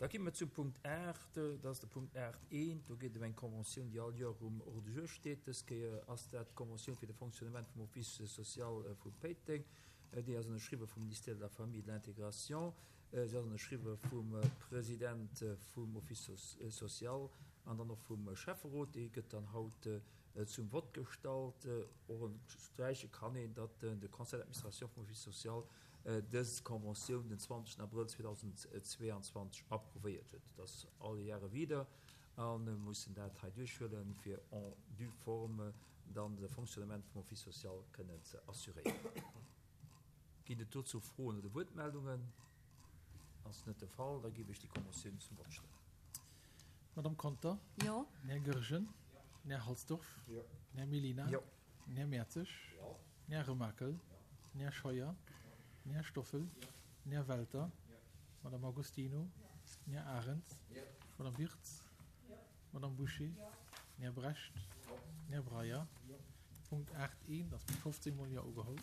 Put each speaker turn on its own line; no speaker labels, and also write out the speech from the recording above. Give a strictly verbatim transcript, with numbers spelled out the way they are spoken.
Da gi mer zum Punkt aacht, dat ass de Punkt aacht eent. Do geet et ëm eng Conventioun, déi all Joer um Ordre du jour steet. Dës Kéier ass dat d'Conventioun fir de Fonctionnement vum Office social vu Péiteng. Déi ass ënnerschriwwe vum Ministère de la Famille et de l'Intégration. Se ass ënnerschriwwe vum President vum Office social an dann och vum Schäfferot. Déi gëtt dann haut zum Vott gestallt. Och ënnersträiche kann een, datt de Conseil d'administration vum Office social dës Conventioun den zwanzegsten Abrëll zweedausendzweeanzwanzeg approuvéiert huet. Dat ass alle Jahre wieder a mir mussen dat hei duerchhuelen, fir en due forme dann de Fonctionnement vum Office social kënnen ze assuréieren. Ginn et dozou Froen oder Wuertmeldungen? Ass net de Fall, da géif ech déi Conventioun zum Vott stellen.
Madame Conter?
Jo.
Den Här Goergen? Jo. Den Här Halsdorf?
Jo.
Den Här Mellina?
Jo.
Den Här Mertzig?
Jo.
Den Här Remakel? Den Här Scheuer? Den Här Stoffel? Den Här Welter? Madame Agostino? Den Här Arendt? Madame Wirtz? Madame Bouché? Den Här Brecht? Den Här Breyer? Punkt aacht eent ass mat fofzéng Mol Jo ugeholl.